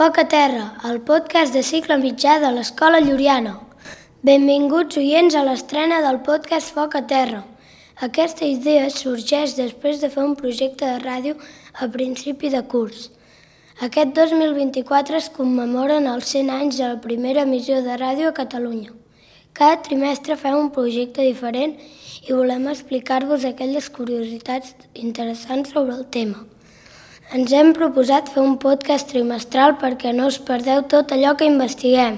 Foc a terra, el podcast de cicle mitjà de l'Escola Lluriana. Benvinguts oients a l'estrena del podcast Foc a terra. Aquesta idea sorgeix després de fer un projecte de ràdio a principi de curs. Aquest 2024 es commemoren els 100 anys de la primera emissió de ràdio a Catalunya. Cada trimestre fem un projecte diferent i volem explicar-vos aquelles curiositats interessants sobre el tema. Ens hem proposat fer un podcast trimestral perquè no us perdeu tot allò que investiguem.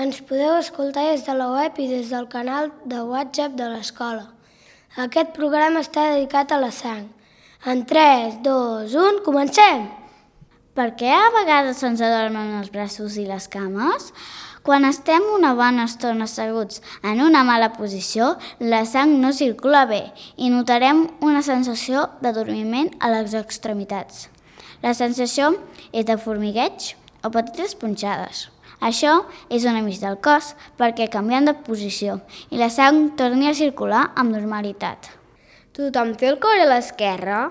Ens podeu escoltar des de la web i des del canal de WhatsApp de l'escola. Aquest programa està dedicat a la sang. En 3, 2, 1, comencem! Per què a vegades se'ns adormen els braços i les cames? Quan estem una bona estona asseguts en una mala posició, la sang no circula bé i notarem una sensació d'adormiment a les extremitats. La sensació és de formigueig o petites punxades. Això és un avís del cos perquè canviem de posició i la sang torni a circular amb normalitat. Tothom té el cor a l'esquerra?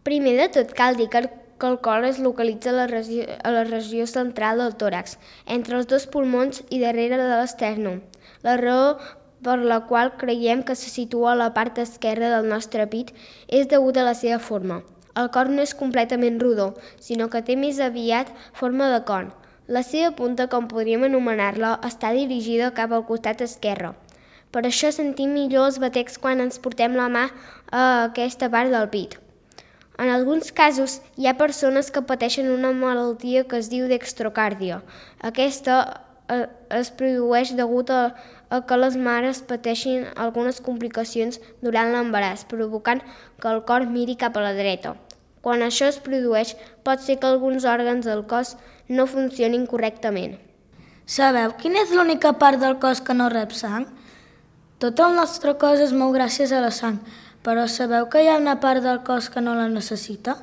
Primer de tot cal dir que el cor es localitza a la regió central del tòrax, entre els dos pulmons i darrere de l'esternum. La raó per la qual creiem que se situa a la part esquerra del nostre pit és degut a la seva forma. El cor no és completament rodó, sinó que té més aviat forma de con. La seva punta, com podríem anomenar-la, està dirigida cap al costat esquerre. Per això sentim millor els batecs quan ens portem la mà a aquesta part del pit. En alguns casos, hi ha persones que pateixen una malaltia que es diu dextrocàrdia. Aquesta es produeix degut a que les mares pateixin algunes complicacions durant l'embaràs, provocant que el cor miri cap a la dreta. Quan això es produeix, pot ser que alguns òrgans del cos no funcionin correctament. Sabeu quina és l'única part del cos que no rep sang? Tot el nostre cos es mou gràcies a la sang, però sabeu que hi ha una part del cos que no la necessita?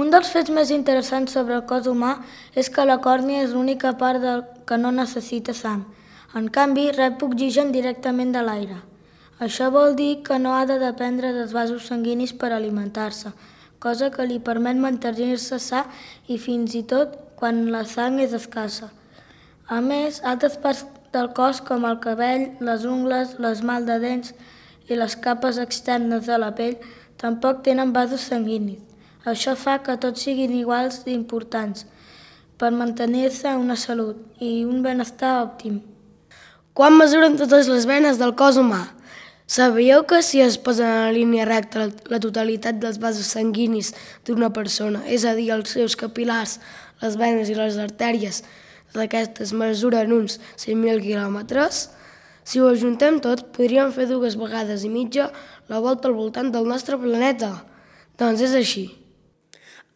Un dels fets més interessants sobre el cos humà és que la còrnia és l'única part que no necessita sang. En canvi, rep oxigen directament de l'aire. Això vol dir que no ha de dependre dels vasos sanguinis per alimentar-se, cosa que li permet mantenir-se sa i fins i tot quan la sang és escassa. A més, altres parts del cos com el cabell, les ungles, l'esmalt de dents i les capes externes de la pell tampoc tenen vasos sanguinis. Això fa que tots siguin iguals d'importants per mantenir-se una salut i un benestar òptim. Quan mesuren totes les venes del cos humà? Sabíeu que si es posen en línia recta la totalitat dels vasos sanguinis d'una persona, és a dir, els seus capil·lars, les venes i les artèries, d'aquestes mesuren uns 100.000 quilòmetres? Si ho ajuntem tot, podríem fer 2 vegades i mitja la volta al voltant del nostre planeta. Doncs és així.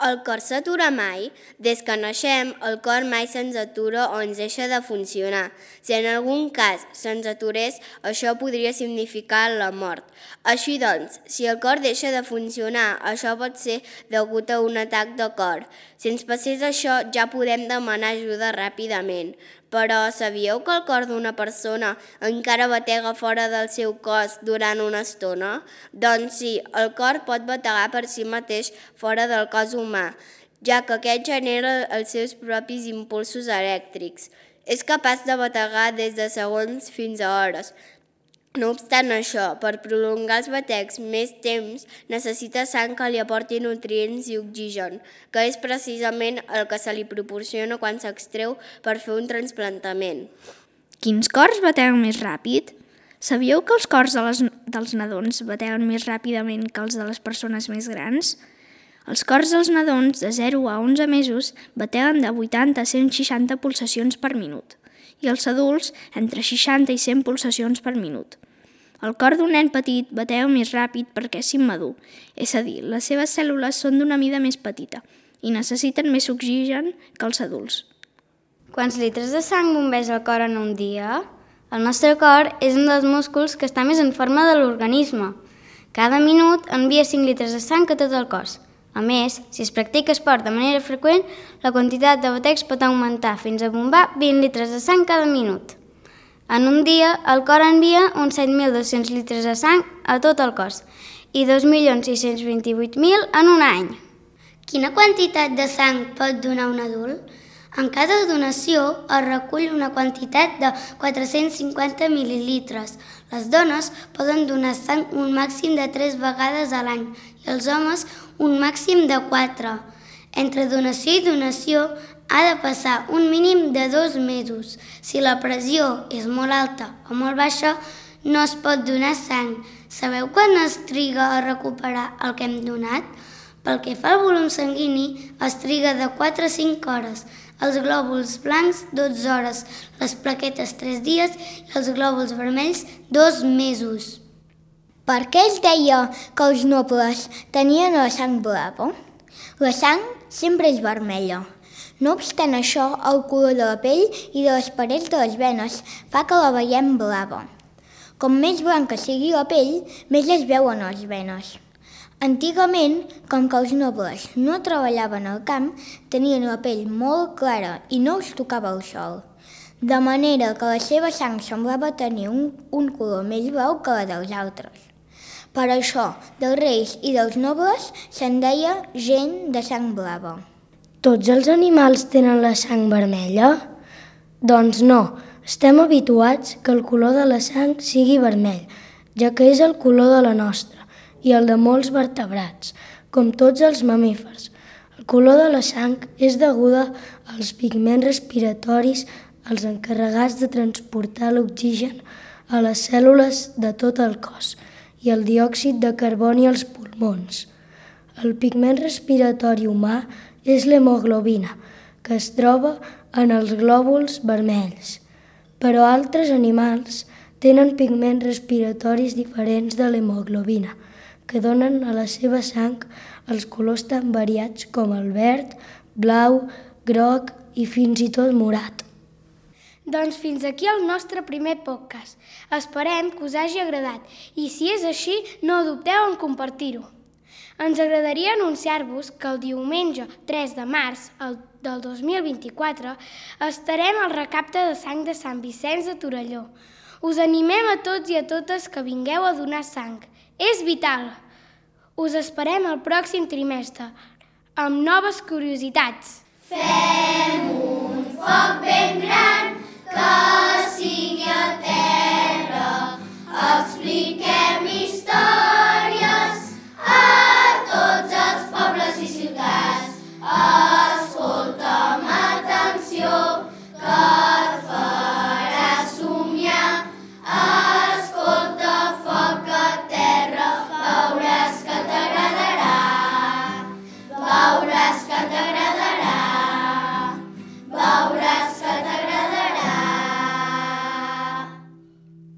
El cor s'atura mai? Des que naixem, el cor mai se'ns atura o ens deixa de funcionar. Si en algun cas se'ns aturés, això podria significar la mort. Així doncs, si el cor deixa de funcionar, això pot ser degut a un atac de cor. Si ens passés això, ja podem demanar ajuda ràpidament. Però sabíeu que el cor d'una persona encara batega fora del seu cos durant una estona? Doncs sí, el cor pot bategar per si mateix fora del cos humà, ja que aquest genera els seus propis impulsos elèctrics. És capaç de bategar des de segons fins a hores. No obstant això, per prolongar els batecs més temps, necessita sang que li aporti nutrients i oxigen, que és precisament el que se li proporciona quan s'extreu per fer un trasplantament. Quins cors bateguen més ràpid? Sabíeu que els cors dels nadons bateguen més ràpidament que els de les persones més grans? Els cors dels nadons de 0 a 11 mesos bateguen de 80 a 160 pulsacions per minut i els adults entre 60 i 100 pulsacions per minut. El cor d'un nen petit batega més ràpid perquè és immadur, és a dir, les seves cèl·lules són d'una mida més petita i necessiten més oxigen que els adults. Quants litres de sang bombeja el cor en un dia? El nostre cor és un dels músculs que està més en forma de l'organisme. Cada minut envia 5 litres de sang a tot el cos. A més, si es practica esport de manera freqüent, la quantitat de batecs pot augmentar fins a bombar 20 litres de sang cada minut. En un dia, el cor envia uns 7.200 litres de sang a tot el cos i 2.628.000 en un any. Quina quantitat de sang pot donar un adult? En cada donació es recull una quantitat de 450 mil·lilitres. Les dones poden donar sang un màxim de 3 vegades a l'any i els homes un màxim de 4. Entre donació i donació ha de passar un mínim de 2 mesos. Si la pressió és molt alta o molt baixa, no es pot donar sang. Sabeu quan es triga a recuperar el que hem donat? Pel que fa al volum sanguini, es triga de 4 a 5 hores, els glòbuls blancs 12 hores, les plaquetes 3 dies i els glòbuls vermells 2 mesos. Per què es deia que els nobles tenien la sang blava? La sang sempre és vermella. No obstant això, el color de la pell i de les parets de les venes fa que la veiem blava. Com més blanca sigui la pell, més es veuen les venes. Antigament, com que els nobles no treballaven al camp, tenien la pell molt clara i no els tocava el sol, de manera que la seva sang semblava tenir un color més blau que la dels altres. Per això, dels reis i dels nobles se'n deia gent de sang blava. Tots els animals tenen la sang vermella? Doncs no, estem habituats que el color de la sang sigui vermell, ja que és el color de la nostra i el de molts vertebrats, com tots els mamífers. El color de la sang és deguda als pigments respiratoris, els encarregats de transportar l'oxigen a les cèl·lules de tot el cos i el diòxid de carboni als pulmons. El pigment respiratori humà és l'hemoglobina, que es troba en els glòbuls vermells. Però altres animals tenen pigments respiratoris diferents de l'hemoglobina, que donen a la seva sang els colors tan variats com el verd, blau, groc i fins i tot morat. Doncs fins aquí el nostre primer podcast. Esperem que us hagi agradat i si és així, no dubteu en compartir-ho. Ens agradaria anunciar-vos que el diumenge 3 de març del 2024 estarem al recapte de sang de Sant Vicenç de Torelló. Us animem a tots i a totes que vingueu a donar sang. És vital! Us esperem el pròxim trimestre amb noves curiositats. Fem un foc ben gran que